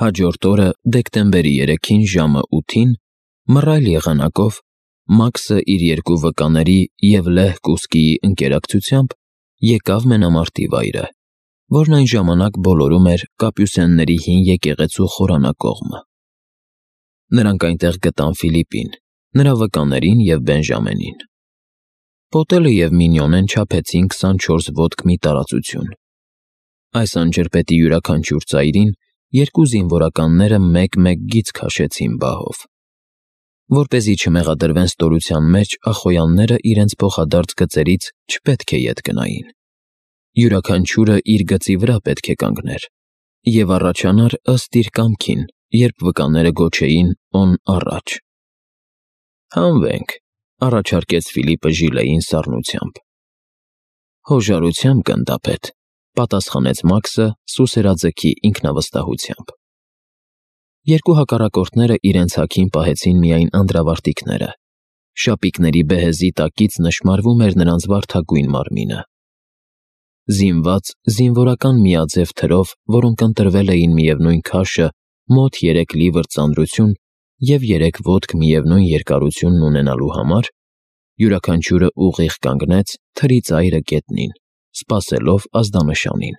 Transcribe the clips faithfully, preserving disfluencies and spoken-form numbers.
Հաջորդ օրը դեկտեմբերի երեքին ժամը ութին մռայլ եղանակով Մաքսը իր երկու վկաների և Լեհ Կուսկիի ընկերակցությամբ եկավ մենամարտի վայրը, որն այն ժամանակ բոլորում էր Կապյուսենների հին եկեղեցու խորանակողմը։ Նրանք այնտեղ գտան Ֆիլիպին, նրա վկաներին և Բենժամենին։ Պոտելը և Մինյոնեն չափեցին քսանչորս ոտք մի տարածություն։ Այս անջրպետի յուրաքանչյուր ծայրին երկու զինվորականները մեկ-մեկ գիծ քաշեցին բահով։ Որպեսզի չմեղադրվեն ստորության մեջ, ախոյանները իրենց փոխադարձ գծերից չպետք է ետ գնային։ Յուրաքանչյուրը իր գծի վրա պետք է կանգներ և առաջանար ըստ իր կամքին, երբ վկաները գոչեին «օն առաջ»։ «Հանվենք», առաջարկեց Ֆիլիպը Ժիլեին սառնությամբ։ «Հոժարությամբ, գնդապետ», պատասխանեց Մաքսը սուսերաձգի ինքնավստահությամբ։ Երկու հակառակորդները իրենց հագին պահեցին միայն անդրավարտիքները։ Շապիկների բեհեզի տակից նշմարվում էր նրանց վարդագույն մարմինը։ Զինված զինվորական միաձև թրով, որոնք ընտրվել էին միևնույն քաշը, մոտ երեք լիվր ծանրություն և երեք ոտք միևնույն երկարությունն ունենալու համար, յուրաքանչյուրը ուղիղ կանգնեց թրի ծայրը գետնին, սպասելով ազդանշանին։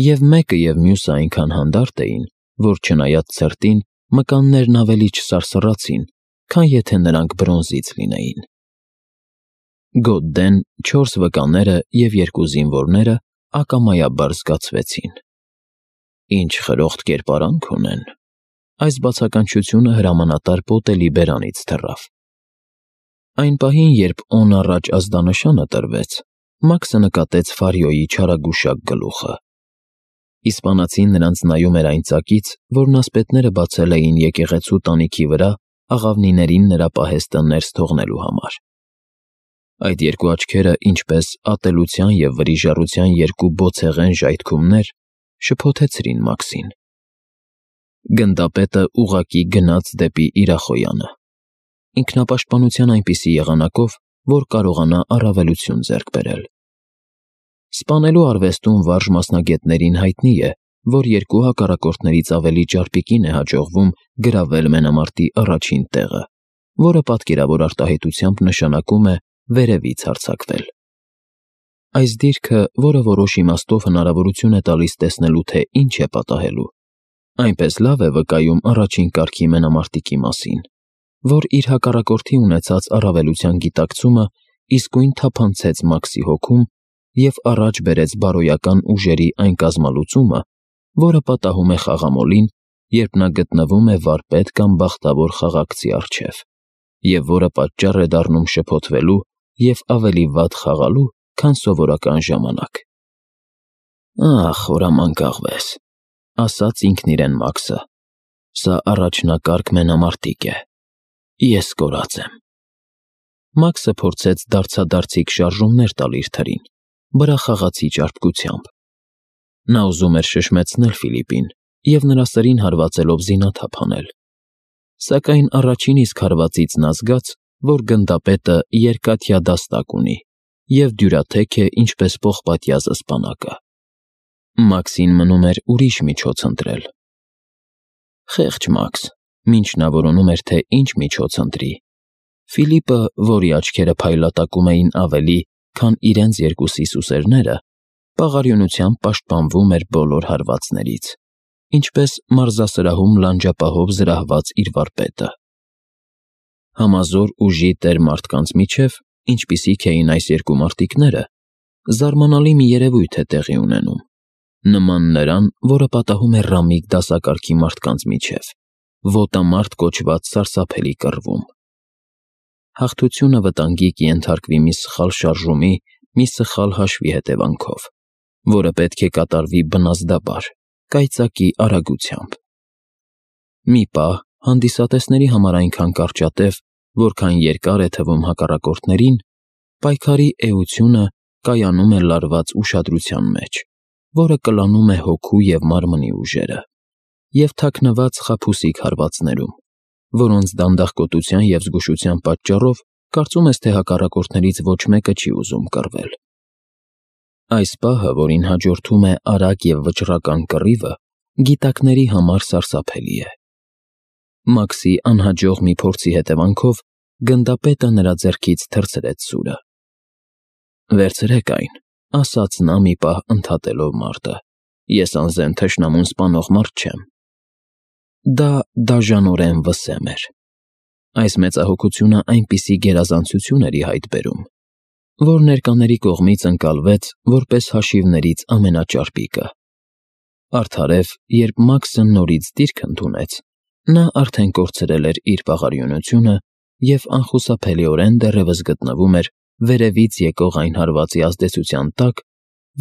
Եվ մեկը և մյուսը այնքան հանդարտ էին, որ չնայած ցրտին, մկաններն ավելի չսարսռացին, քան եթե նրանք բրոնզից լինեին։ Գոդդեն, չորս վկաները և երկու զինվորները ակամայաբար զգացվեցին։ «Ինչ խրոխտ կերպարանք ունեն», այս բացականչությունը հրամանատար Պոտելի բերանից թռավ։ Այն պահին, երբ «օն առաջ» ազդանշանը տրվեց, Մաքսը նկատեց Ֆարյոյի չարագուշակ գլուխը։ Իսպանացին նրանց նայում էր այն ծակից, որն ասպետները բացել էին եկեղեցու տանիքի վրա աղավնիներին նրա պահեստը ներս թողնելու համար։ Այդ երկու աչքերը, ինչպես ատելության և վրիժառության երկու բոցեղեն ժայթքումներ, շփոթեցրին Մաքսին։ Գնդապետը ուղղակի գնաց դեպի իր ախոյանը, ինքնապաշտպանության այնպիսի եղանակով, որ կարողանա առավելություն ձեռք բերել։ Սպանելու արվեստում վարժ մասնագետներին հայտնի է, որ երկու հակառակորդներից ավելի ճարպիկին է հաջողվում գրավել մենամարտի առաջին տեղը, որը պատկերավոր արտահայտությամբ նշանակում է վերևից հարձակվել։ Այս դիրքը, որը որոշ իմաստով հնարավորություն է տալիս տեսնելու, թե ինչ է պատահելու, այնպես լավ է վկայում առաջին կարգի մենամարտիկի մասին, որ իր հակառակորդի ունեցած առավելության գիտակցումը իսկույն թափանցեց Մաքսի հոգում և առաջ բերեց բարոյական ուժերի այն կազմալուծումը, որը պատահում է խաղամոլին, երբ նա գտնվում է վարպետ կամ բախտավոր խաղաղցի առջև, և որը պատճառ է դառնում շփոթվելու և ավելի վատ խաղալու, քան սովորական ժամանակ։ «Ախ, խորամանկաղվես», ասաց ինքն իրեն Մաքսը, «սա առաջնակարգ մենամարտիկ է։ Ես կորած եմ»։ Մաքսը փորձեց դարձադարձիկ շարժումներ տալ իր թրին, բռախաղացի ճարպկությամբ։ Նա ուզում էր շշմեցնել Ֆիլիպին և նրա սրին հարվածելով զինաթափ անել։ Սակայն առաջին իսկ հարվածից նա զգաց, որ գնդապետը երկաթյա դաստակ ունի և դյուրաթեք է, ինչպես պողպատյա զսպանակը։ Մաքսին մնում էր ուրիշ միջոց ընտրել։ Խեղճ Մաքս, մինչ նա որոնում էր, թե ինչ միջոց ընտրի, Ֆիլիպը, որի աչքերը փայլատակում էին ավելի, քան իրենց երկուսի սուսերները, պաղարյունությամբ պաշտպանվում էր բոլոր հարվածներից, ինչպես մարզասրահում լանջապահով զրահված իր վարպետը։ Համազոր ուժի տեր մարդկանց միջև, ինչպիսիք էին այս երկու մարտիկները, զարմանալի մի երևույթ է տեղի ունենում, նման նրան, որը պատահում է ռամիկ դասակարգի մարդկանց միջև, ոտամարտ կոչված սարսափելի կռվում։ Հաղթությունը վտանգի կենթարկվի մի սխալ շարժումի, մի սխալ հաշվի հետևանքով, որը պետք է կատարվի բնազդաբար, կայծակի արագությամբ։ Մի պահ հանդիսատեսների համար այնքան կարճատև, որքան երկար է թվում հակառակորդներին, պայքարի էությունը կայանում է լարված ուշադրության մեջ, որը կլանում է հոգու և մարմնի ուժերը, և թաքնված խաբուսիկ հարվածներում, որոնց դանդաղկոտության և զգուշության պատճառով կարծում ես, թե հակառակորդներից ոչ մեկը չի ուզում կռվել։ Այս պահը, որին հաջորդում է արագ և վճռական կռիվը, գիտակների համար սարսափելի է։ Մաքսի անհաջող մի փորձի հետևանքով գնդապետը նրա ձեռքից թռցրեց սուրը։ «Վերցրեք այն», ասաց նա մի պահ ընդհատելով մարտը, «ես անզեն թշնամուն սպանող մարդ չեմ»։ Դա դաժանորեն վսեմ էր։ Այս մեծահոգությունը այնպիսի գերազանցություն էր ի հայտ բերում, որ ներկաների կողմից ընկալվեց որպես հաշիվներից ամենաճարպիկը։ Արդարև, երբ Մաքսը նորից դիրք ընդունեց, նա արդեն կորցրել էր իր պաղարիունությունը և անխուսափելիորեն դեռևս գտնվում էր վերևից եկող այն հարվածի ազդեցության տակ,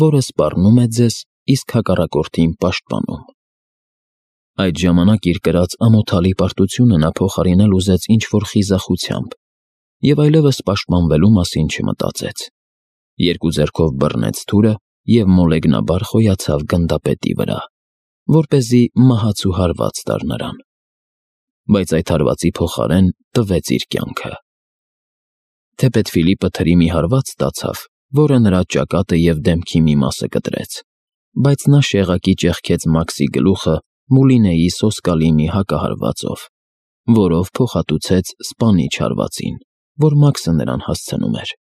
որը սպառնում է ձեզ, իսկ հակառակորդին պաշտպանում։ Այդ ժամանակ իր կրած ամոթալի պարտությունը նա փոխարինել ուզեց ինչ-որ խիզախությամբ և այլևս պաշտպանվելու մասին չմտածեց։ Երկու ձեռքով բռնեց թուրը և մոլեգնաբար խոյացավ գնդապետի վրա, որպեսզի մահացու հարված տար նրան, բայց այդ հարվածի փոխարեն տվեց իր կյանքը։ Թեպետ Ֆիլիպը թրի մի հարված ստացավ, որը նրա ճակատը և դեմքի մի մասը կտրեց, բայց նա շեղակի ճեղքեց Մաքսի գլուխը Մուլինեի սոսկալի մի հակահարվածով, որով փոխհատուցեց սպանիչ հարվածին, որ Մաքսը նրան հասցնում էր։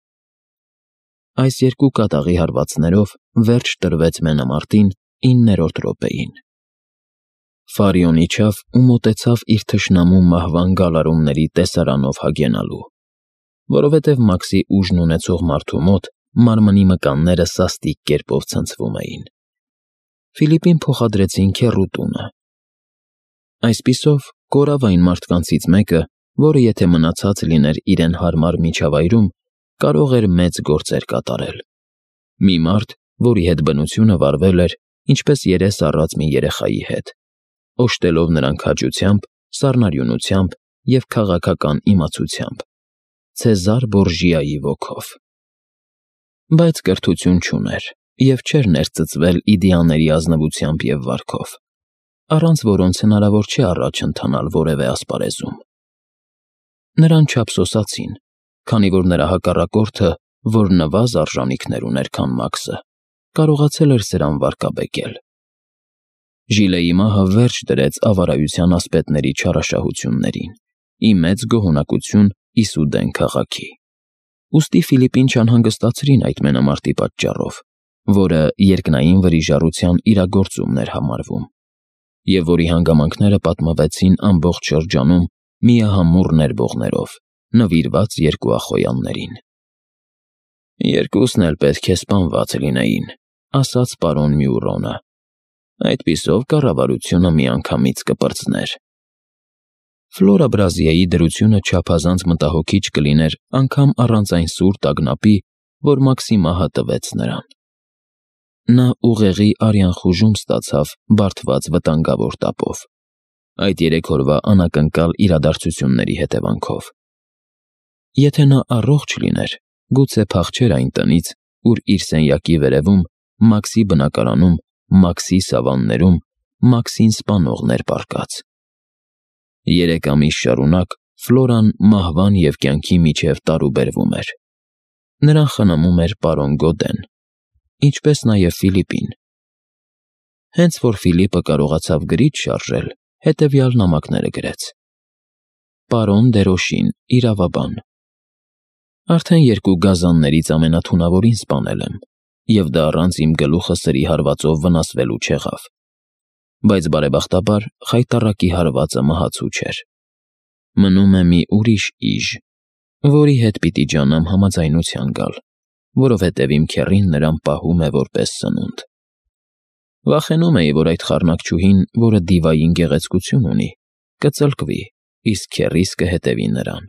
Այս երկու կատաղի հարվածներով վերջ տրվեց մենամարտին իններորդ րոպեին։ Ֆարիոն իջավ ու մոտեցավ իր թշնամու մահվան գալարումների տեսարանով հագենալու, որովհետև Մաքսի ուժն ունեցող մարդու մոտ մարմնի մկանները սաստիկ կերպով ցնցվում էին։ Ֆիլիպին փոխադրեցին քեռուտունը։ Այսպիսով, կորավ այն մարդկանցից մեկը, որը եթե մնացած լիներ իրեն հարմար միջավայրում, կարող էր մեծ գործեր կատարել։ Մի մարդ, որի հետ բնությունը վարվել էր, ինչպես երես առած մի երեխայի հետ, օժտելով նրան քաջությամբ, սառնարյունությամբ և քաղաքական իմացությամբ, Ցեզար Բորժիայի ոգով։ Բայց կրթություն չուներ և չէր ներծծվել իդեաների ազնվությամբ և վարքով, առանց որոնց հնարավոր չէ առաջ ընթանալ որևէ ասպարեզում։ Նրան չափսոսացին, քանի որ նրա հակառակորդը, որ նվազ արժանիքներ ուներ, քան Մաքսը, կարողացել էր սրան վարկաբեկել։ Ժիլեի մահը վերջ դրեց ավարայության ասպետների չարաշահություններին, ի մեծ գոհունակություն Իսուդեն քաղաքի։ Ուստի Ֆիլիպին չանհանգստացրին այդ մենամարտի պատճառով, որը երկնային վրիժառության իրագործումն էր համարվում, և որի հանգամանքները պատմվեցին ամբողջ շրջանում միահամուռ ներվողներով, նվիրված երկու ախոյաններին։ «Երկուսն էլ պետք է սպանված լինեին», ասաց պարոն Մյուրոնը։ «Այդպիսով կառավարությունը միանգամից կպրծներ»։ Ֆլորա Բրազիայի դրությունը չափազանց մտահոգիչ կլիներ անգամ առանց այն սուր տագնապի, որ Մաքսի մահը տվեց նրան։ Նա ուղեղի արյան խուժում ստացավ բարդված վտանգավոր տապով, այդ երեք օրվա անակնկալ իրադարձությունների հետևանքով։ Եթե նա առողջ լիներ, գուցե փախչեր այն տնից, ուր իր սենյակի վերևում, Մաքսի բնակարանում, Մաքսի սավաններում, Մաքսին սպանողներ պառկած։ Երեք ամիս շարունակ Ֆլորան մահվան և կյանքի միջև տարուբերվում էր։ Նրան խնամում էր պարոն Գոդեն, ինչպես նաև Ֆիլիպին։ Հենց որ Ֆիլիպը կարողացավ գրիչ շարժել, հետևյալ նամակները գրեց. Պարոն Դերոշին, իրավաբան։ Արդեն երկու գազաններից ամենաթունավորին սպանել եմ, և դա առանց իմ գլուխը սրի հարվածով վնասվելու չեղավ, բայց բարեբախտաբար խայտառակի հարվածը մահացու չէր։ Մնում է մի ուրիշ իժ, որի հետ պիտի ջանամ համաձայնության գալ, որովհետև իմ քեռին նրան պահում է որպես սնունդ։ Վախենում էի, որ այդ խառնակչուհին, որը դիվային գեղեցկություն ունի, կծլկվի, իսկ քեռիս կհետևի նրան,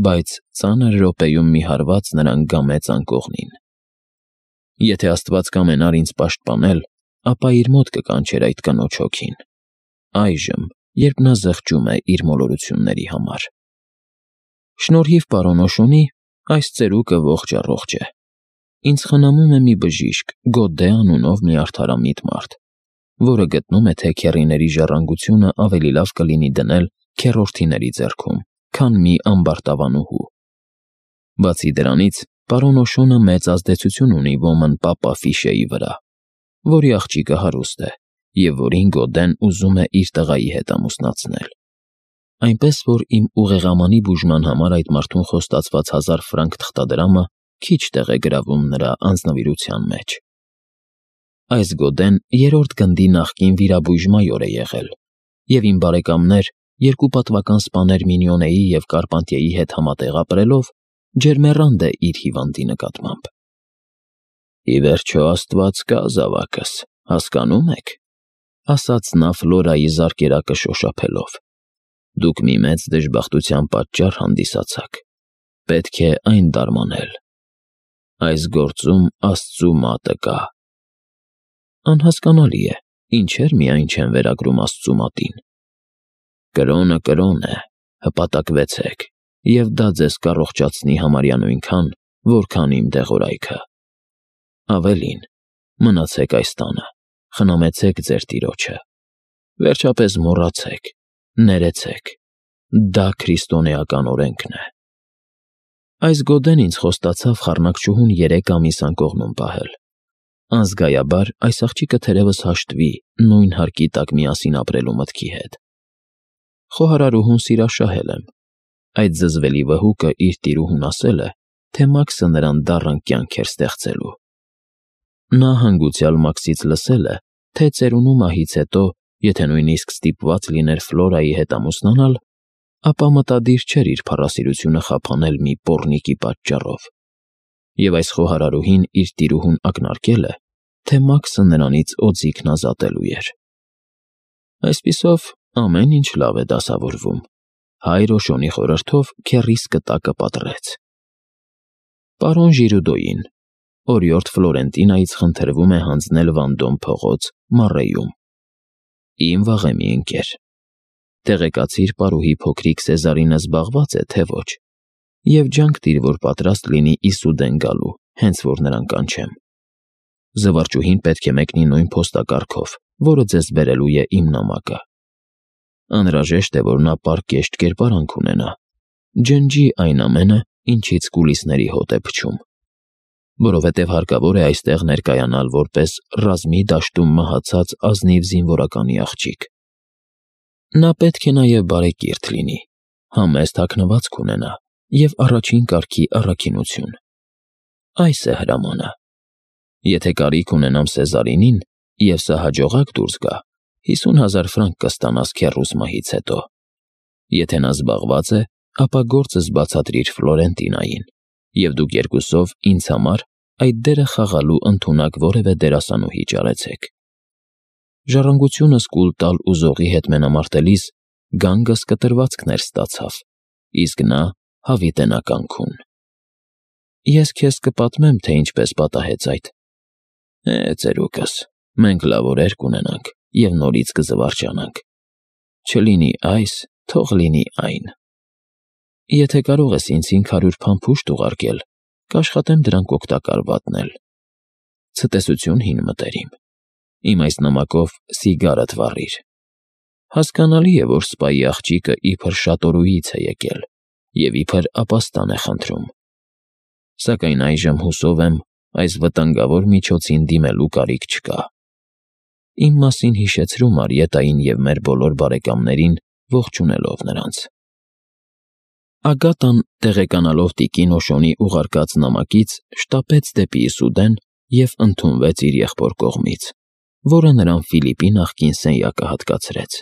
բայց ծանր րոպեում մի հարված նրան գամեց անկողնին։ Եթե Աստված կամենար ինձ պաշտպանել, ապա իր մոտ կկանչեր այդ կնոջ հոգին, այժմ, երբ նա զղջում է իր մոլորությունների համար։ Շնորհիվ պարոն Օշոնի, այս ծերուկը ողջ֊առողջ է։ Ինձ խնամում է մի բժիշկ, Գոդե անունով մի արդարամիտ մարդ, որը գտնում է, թե քեռիների ժառանգությունը ավելի լավ կլինի դնել քեռորդիների ձեռքում, քան մի ամբարտավանուհու։ Բացի դրանից, պարոն Օշոնը մեծ ազդեցություն ունի ոմն պապա Ֆիշեի վրա, որի աղջիկը հարուստ է, և որին Գոդեն ուզում է իր տղայի հետ ամուսնացնել։ Այնպես որ իմ ուղեղամանի բուժման համար այդ մարդուն խոստացված հազար ֆրանկ թղթադրամը քիչ տեղ է գրավում նրա անձնվիրության մեջ։ Այս Գոդեն երրորդ գնդի նախկին վիրաբույժ մայոր է եղել, և իմ բարեկամներ, երկու պատվական սպաներ Մինյոնեի և Կարպանտիեի հետ համատեղ ապրելով, ջերմեռանդ է իր հիվանդի նկատմամբ։ «Ի վերջո Աստված կա, զավակս, հասկանո՞ւմ եք,֊ ասաց նա Ֆլորայի զարկերակը շոշափելով։ Դուք մի մեծ դժբախտության պատճառ հանդիսացաք, պետք է այն դարմանել։ Այս գործում Աստծու մատը կա»։ Անհասկանալի է, ինչեր միայն չեն վերագրում Աստծու մատին։ Կրոնը կրոն է, հպատակվեցեք, և դա ձեզ կառողջացնի համարյա նույնքան, որքան իմ դեղորայքը։ Ավելին, մնացեք այս տանը, խնամեցեք ձեր տիրոջը, վերջապես մոռացեք, ներեցեք, դա քրիստոնեական օրենքն է։ Այս Գոդեն ինձ խոստացավ խառնակչուհուն երեք ամիս անկողնում պահել։ Անզգայաբար այս աղջիկը թերևս հաշտվի նույն հարկի տակ միասին ապրելու մտքի հետ։ Խոհարարուհուն սիրաշահել եմ։ Այդ զզվելի վհուկը իր տիրուհուն ասել է, թե Մաքսը նրան դառն կյանք էր ստեղծելու։ Նա հանգուցյալ Մաքսից լսել է, թե ծերունու մահից հետո, եթե նույնիսկ ստիպված լիներ Ֆլորայի հետ ամուսնանալ, ապա մտադիր չէր իր փառասիրությունը խափանել մի պոռնիկի պատճառով։ Եվ այս խոհարարուհին իր տիրուհուն ակնարկել է, թե Մաքսը նրանից օձիքն ազատելու էր։ Այսպիսով, ամեն ինչ լավ է դասավորվում։ Հայր Օշոնի խորհրդով քեռիս կտակը պատռեց։ Պարոն Ժիրուդոյին օրիորդ Ֆլորենտինայից խնդրվում է հանձնել Վանդոմ փողոց Մառեյում։ Իմ վաղեմի ընկեր։ Տեղեկացիր պարուհի փոքրիկ Սեզարինը զբաղված է, թե ոչ, և ջանք տիր, որ պատրաստ լինի Իսուդեն գալու, հենց որ նրան կանչեմ։ Զվարճուհին պետք է մեկնի նույն փոստակառքով, որը ձեզ բերելու է իմ նամակը։ Անհրաժեշտ է, որ նա պարկեշտ կերպարանք ունենա, ջնջի այն ամենը, ինչից կուլիսների հոտ է փչում, որովհետև հարկավոր է այստեղ ներկայանալ որպես ռազմի դաշտում մահացած ազնիվ զինվորականի աղջիկ։ Նա պետք է նաև բարեկիրթ լինի, համեստ հագնվածք ունենա և առաջին կարգի առաքինություն։ Այս է հրամանը։ Եթե կարիք ունենամ Սեզարինին, և սա հաջողակ դուրս գա, հիսուն հազար ֆրանկ կստանաս քեռուս մահից հետո։ Եթե նա զբաղված է, ապա գործս բացատրիր Ֆլորենտինային, և դուք երկուսով ինձ համար այդ դերը խաղալու ընդունակ որևէ դերասանուհի ճարեցեք։ Ժառանգությունս կուլ տալ ուզողի հետ մենամարտելիս գանգս կտրվածքներ ստացավ, իսկ նա հավիտենականքուն։ Ես քեզ կպատմեմ, թե ինչպես պատահեց այդ։ Է, ծերուկս, մենք լավ օրեր կունենանք և նորից կզվարճանանք։ Չլինի այս, թող լինի այն։ Եթե կարող ես ինձ հինգ հարյուր փամփուշտ ուղարկել, կաշխատեմ դրանք օգտակար վատնել։ Ցտեսություն հին մտերիմ։ Իմ այս նամակով սիգարդ վառիր։ Հասկանալի է, որ սպայի աղջիկը իբր շատորուից է եկել և իբր ապաստան է խնդրում։ Սակայն այժմ հուսով եմ, այս վտանգավոր միջոցին դիմելու կարիք չկա։ Իմ մասին հիշեցրու Մարիետային և մեր բոլոր բարեկամներին, ողջունելով նրանց։ Ագատան, տեղեկանալով տիկին Օշոնի ուղարկած նամակից, շտապեց դեպի Իսուդեն և ընդունվեց իր եղբոր կողմից, որը նրան Ֆիլիպի նախկին սենյակը հատկացրեց։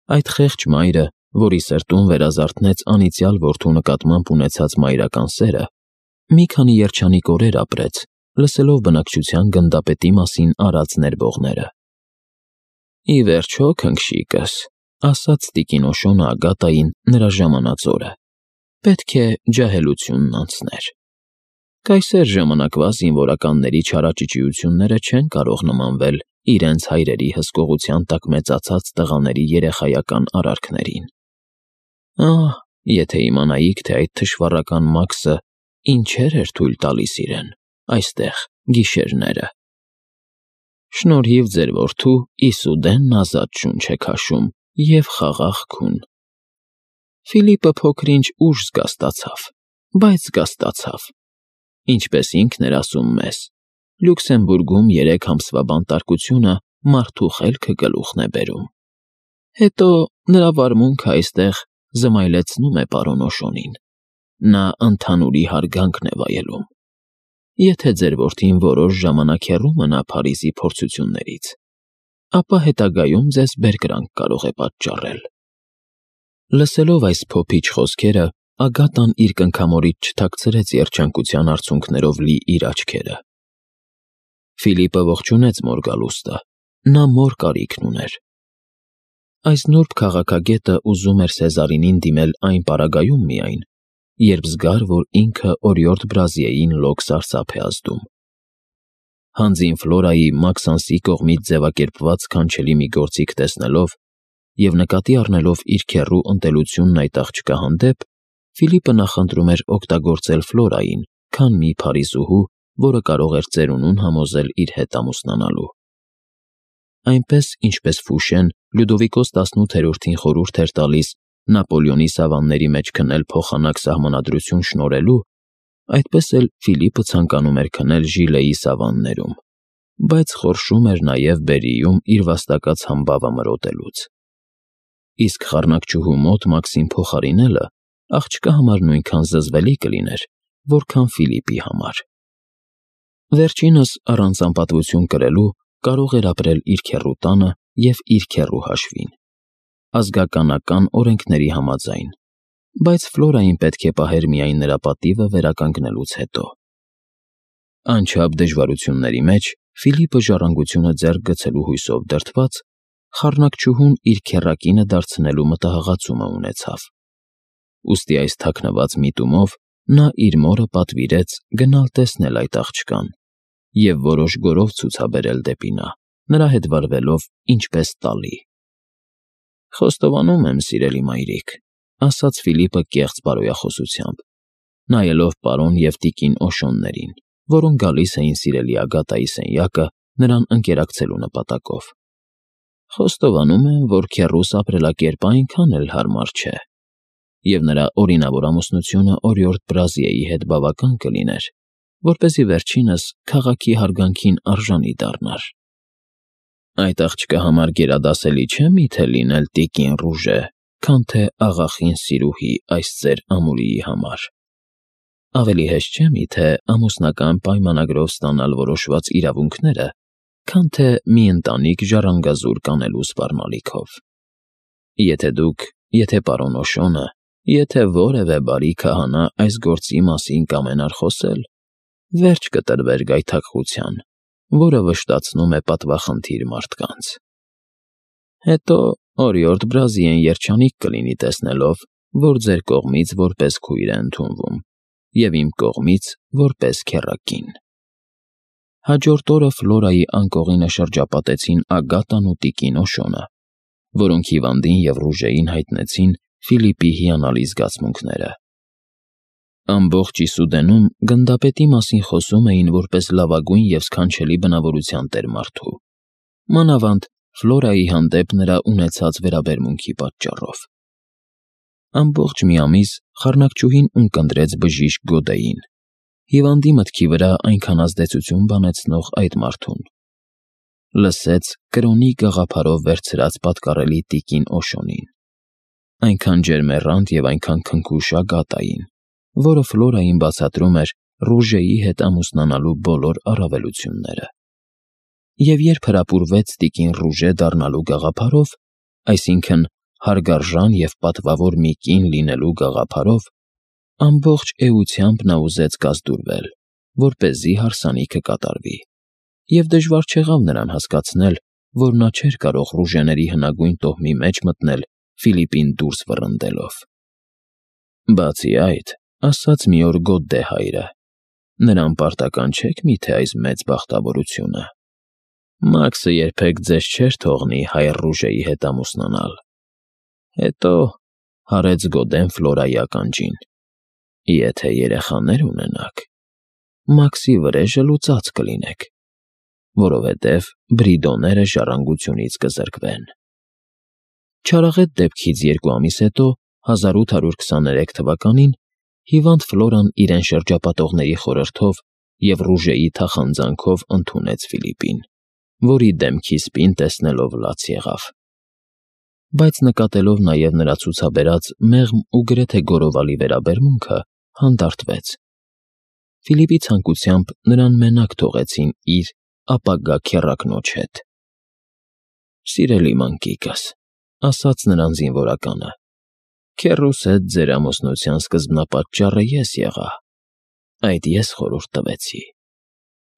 Այդ խեղճ մայրը, որի սրտում վերազարթնեց անիծյալ որդու նկատմամբ ունեցած մայրական սերը, մի քանի երջանիկ օրեր ապրեց, լսելով բնակչության գնդապետի մասին արած ներբողները։ Ի վերջո, քնքշիկս, ասաց տիկին Օշոնը Ագատային նրա ժամանած օրը, պետք է ջահելությունն անցներ։ Կայսեր ժամանակվա զինվորականների չարաճճիությունները չեն կարող նմանվել իրենց հայրերի հսկողության տակ մեծացած տղաների երեխայական արարքներին։ Ահ, եթե իմանայիք, թե այդ թշվառական Մաքսը ինչեր էր թույլ տալիս իրեն այստեղ գիշերները։ Շնորհիվ ձեր որդու Իսուդենն ազատ շունչ է քաշում և խաղաղ քուն։ Ֆիլիպը փոքր-ինչ ուշ զգաստացավ, բայց զգաստացավ։ Ինչպես ինքն էր ասում մեզ, Լյուքսեմբուրգում երեք ամսվա բանտարկությունը մարդու խելքը գլուխն է բերում։ Հետո նրա վարմունքը այստեղ զմայլեցնում է պարոն Օշոնին։ Նա ընդհանուրի հարգանքն է վայելում։ Եթե ձեր որդին որոշ ժամանակ հեռու մնա Փարիզի փորձություններից, ապա հետագայում ձեզ բերկրանք կարող է պատճառել։ Լսելով այս փոփիչ խոսքերը, Ագատան իր կնքամորից չթաքցրեց երջանկության արցունքներով լի իր աչքերը։ Ֆիլիպը ողջունեց Մորգալուստը, նա մոր կարիքն ուներ։ Այս նուրբ քաղաքագետը ուզում էր Սեզարինին դիմել այն պարագայում միայն, երբ զգար, որ ինքը օրիորդ Բրազիեին լոկ սարսափ է ազդում։ Հանձին Ֆլորայի Մաքսանսի կողմից ձևակերպված քանչելի մի գործիք տեսնելով և նկատի առնելով իր քեռու ընտելությունն այդ աղջկա հանդեպ, Ֆիլիպը նախընտրում էր օգտագործել Ֆլորային, քան մի փարիզուհու, որը կարող էր ծերունուն համոզել իր հետ ամուսնանալու։ Այնպես, ինչպես Ֆուշեն Լյուդովիկոս տասնութերորդին խորհուրդ էր տալիս Նապոլեոնի սավանների մեջ քնել փոխանակ սահմանադրություն շնորհելու, այդպես էլ Ֆիլիպը ցանկանում էր քնել Ժիլեի սավաններում, բայց խորշում էր նաև Բերիում իր վաստակած համբավը մրոտելուց։ Իսկ խառնակչուհու մոտ Մաքսին փոխարինելը աղջկա համար նույնքան զզվելի կլիներ, որքան Ֆիլիպի համար։ Վերջինս առանց անպատվություն կրելու կարող էր ապրել իր քեռու տանը և իր քեռու հաշվին, ազգականական օրենքների համաձայն, բայց Ֆլորային պետք է պահեր միայն նրա պատիվը վերականգնելուց հետո։ Անչափ դժվարությունների մեջ Ֆիլիպը ժառանգությունը ձեռք գցելու հույսով դրդված, խառնակչուհուն իր քեռակինը դարձնելու մտահղացումը ունեցավ։ Ուստի այս թաքնված միտումով նա իր մորը պատվիրեց գնալ տեսնել այդ աղջկան և որոշ գորով ցուցաբերել դեպի նա, նրա հետ վարվելով ինչպես տալի։ «Խոստովանում եմ, սիրելի մայրիկ», ասաց Ֆիլիպը կեղծ բարոյախոսությամբ, նայելով պարոն և տիկին Օշոններին, որոնք գալիս էին սիրելի Ագատայի սենյակը նրան ընկերակցելու նպատակով։ «Խոստովանում եմ, որ քեռուս ապրելակերպը այնքան էլ հարմար չէ, և նրա օրինավոր ամուսնությունը օրիորդ Բրազիեի հետ բավական կլիներ, որպեսզի վերջինս քաղաքի հարգանքին արժանի դառնար։ Այդ աղջկա համար գերադասելի չէ միթե լինել տիկին Ռուժե, քան թե աղախին սիրուհի այս ձեր ամուրիի համար։ Ավելի հեշտ չէ միթե ամուսնական պայմանագրով ստանալ որոշված իրավունքները, քան թե մի ընտանիք ժառանգազուրկ անելու սպառնալիքով։ Եթե դուք, եթե պարոն Օշոնը, եթե որևէ բարի քահանա այս գործի մասին կամենար խոսել, վերջ կտրվեր գայթակղության, որը վշտացնում է պատվախնդիր մարդկանց։ Հետո օրիորդ Բրազիեն երջանիկ կլինի տեսնելով, որ ձեր կողմից որպես քույր է ընդունվում և իմ կողմից որպես քեռակին»։ Հաջորդ օրը Ֆլորայի անկողինը շրջապատեցին Ագատան ու տիկին Օշոնը, որոնք հիվանդին և Ռուժեին հայտնեցին Ֆիլիպի հիանալի զգացմունքները։ Ամբողջ Իսուդենում գնդապետի մասին խոսում էին որպես լավագույն և սքանչելի բնավորության տեր մարդու, մանավանդ Ֆլորայի հանդեպ նրա ունեցած վերաբերմունքի պատճառով։ Ամբողջ մի ամիս խառնակչուհին ունկնդրեց բժիշկ Գոդեին, հիվանդի մտքի վրա այնքան ազդեցություն բանեցնող այդ մարդուն։ Լսեց կրոնի գաղափարով վերցրած պատկառելի տիկին Օշոնին, այնքան ջերմեռանդ և այնքան քնքուշ Ագատային, որը Ֆլորային բացատրում էր Ռուժեի հետ ամուսնանալու բոլոր առավելությունները։ Եվ երբ հրապուրվեց տիկին Ռուժե դառնալու գաղափարով, այսինքն հարգարժան և պատվավոր մի կին լինելու գաղափարով, ամբողջ էությամբ նա ուզեց կազդուրվել, որպեսզի հարսանիքը կատարվի, և դժվար չեղավ նրան հասկացնել, որ նա չէր կարող Ռուժեների հնագույն տոհմի մեջ մտնել Ֆիլիպին դուրս վռնդելով։ Բացի այդ, ասաց մի օր Գոդդե հայրը, նրան պարտական չէք միթե այս մեծ բախտավորությունը։ Մաքսը երբեք ձեզ չէր թողնի հայր Ռուժեի հետ ամուսնանալ։ Հետո հարեց Գոդեն Ֆլորայի ականջին. եթե երեխաներ ունենաք, Մաքսի վրեժը լուծած կլինեք, որովհետև Բրիդոները ժառանգությունից կզրկվեն։ Չարաղետ դեպքից երկու ամիս հետո, հազար ութ հարյուր քսաներեք թվականին, հիվանդ Ֆլորան իրեն շրջապատողների խորհրդով և Ռուժեի թախանձանքով ընդունեց Ֆիլիպին որի դեմքի սպին տեսնելով լաց եղավ։ Բայց նկատելով նաև նրա ցուցաբերած մեղմ ու գրեթե գորովալի վերաբերմունքը, հանդարտվեց։ Ֆիլիպի ցանկությամբ նրան մենակ թողեցին իր ապագա քեռակնոջ հետ։ «Սիրելի մանկիկս», ասաց նրան զինվորականը, «քեռուս հետ ձեր ամուսնության սկզբնապատճառը ես եղա, այդ ես խորհուրդ տվեցի,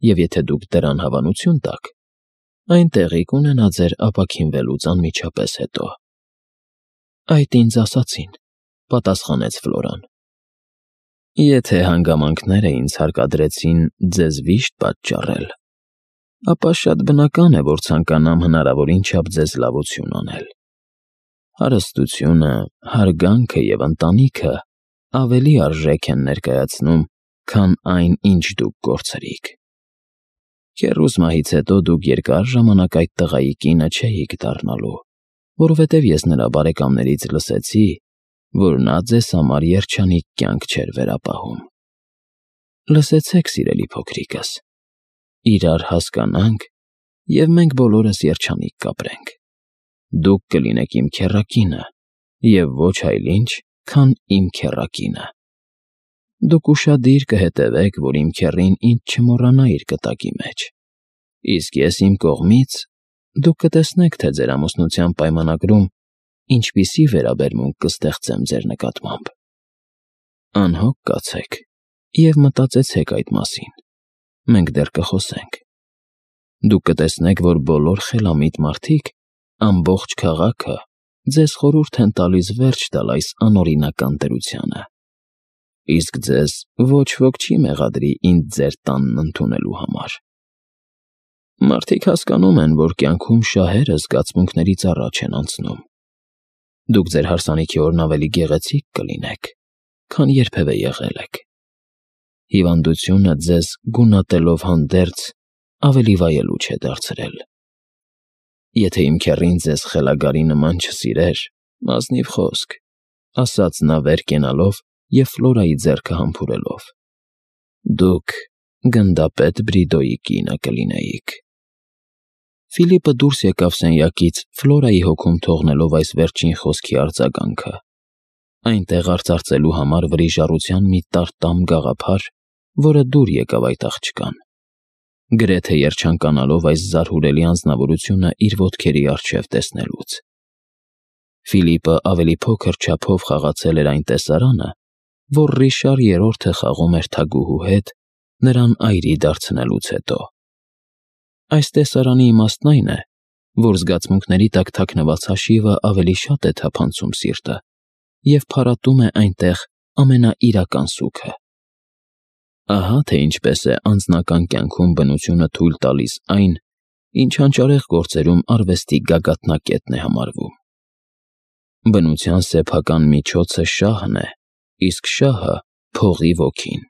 և եթե դուք դրան հավանություն տաք, այն տեղի կունենա ձեր ապաքինվելուց անմիջապես հետո»։ «Այդ ինձ ասացին», պատասխանեց Ֆլորան։ «Եթե հանգամանքները ինձ հարկադրեցին ձեզ վիշտ պատճառել, ապա շատ բնական է, որ ցանկանամ հնարավորին չափ ձեզ լավություն անել։ Հարստությունը, հարգանքը և ընտանիքը ավելի արժեք են ներկայացնում, քան այն, ինչ դուք կորցրիք։ Քեռուս մահից հետո դուք երկար ժամանակ այդ տղայի կինը չէիք դառնալու, որովհետև ես նրա բարեկամներից լսեցի, որ նա ձեզ համար երջանիկ կյանք չէր վերապահում։ Լսեցեք, սիրելի փոքրիկս, իրար հասկանանք, և մենք բոլորս երջանիկ կապրենք։ Դուք կլինեք իմ քեռակինը, և ոչ այլ ինչ, քան իմ քեռակինը։ Դուք ուշադիր կհետևեք, որ իմ քեռին ինձ չմոռանա իր կտակի մեջ, իսկ ես իմ կողմից դուք կտեսնեք, թե ձեր ամուսնության պայմանագրում ինչպիսի վերաբերմունք կստեղծեմ ձեր նկատմամբ։ Անհոգ կացեք և մտածեցեք այդ մասին, մենք դեռ կխոսենք։ Դուք կտեսնեք, որ բոլոր խելամիտ մարդիկ, ամբողջ քաղաքը ձեզ խորհուրդ են տալիս վերջ տալ այս անօրինական դրությանը, իսկ ձեզ ոչ ոք չի մեղադրի ինձ ձեր տանն ընդունելու համար։ Մարդիկ հասկանում են, որ կյանքում շահերը զգացմունքներից առաջ են անցնում։ Դուք ձեր հարսանիքի օրն ավելի գեղեցիկ կլինեք, քան երբևէ եղել եք։ Հիվանդությունը ձեզ գունատելով հանդերձ ավելի վայելուչ է դարձրել։ Եթե իմ քեռին ձեզ խելագարի նման չսիրեր, ազնիվ խոսք, ասաց նա վեր կենալով և Ֆլորայի ձեռքը համբուրելով, դուք գնդապետ Բրիդոյի կինը կլինեիք։ Ֆիլիպը դուրս եկավ սենյակից, Ֆլորայի հոգում թողնելով այս վերջին խոսքի արձագանքը, այնտեղ արծարծելու համար վրիժառության մի տարտամ գաղափար, որը դուր եկավ այդ աղջկան, գրեթե երջանկանալով այս զարհուրելի անձնավորությունը իր ոտքերի առջև տեսնելուց։ Ֆիլիպը ավելի փոքր չափով խաղացել էր այն տեսարանը, որ Ռիշար Երրորդը խաղում էր թագուհու հետ նրան այրի դարձնելուց հետո։ Այս տեսարանի իմաստն այն է, որ զգացմունքների տակ թաքնված հաշիվը ավելի շատ է թափանցում սիրտը և փարատում է այնտեղ ամենաիրական սուգը։ Ահա թե ինչպես է անձնական կյանքում բնությունը թույլ տալիս այն, ինչ հանճարեղ գործերում արվեստի գագաթնակետն է համարվում։ Բնության սեփական միջոցը շահն է, իսկ շահը՝ փողի ոգին։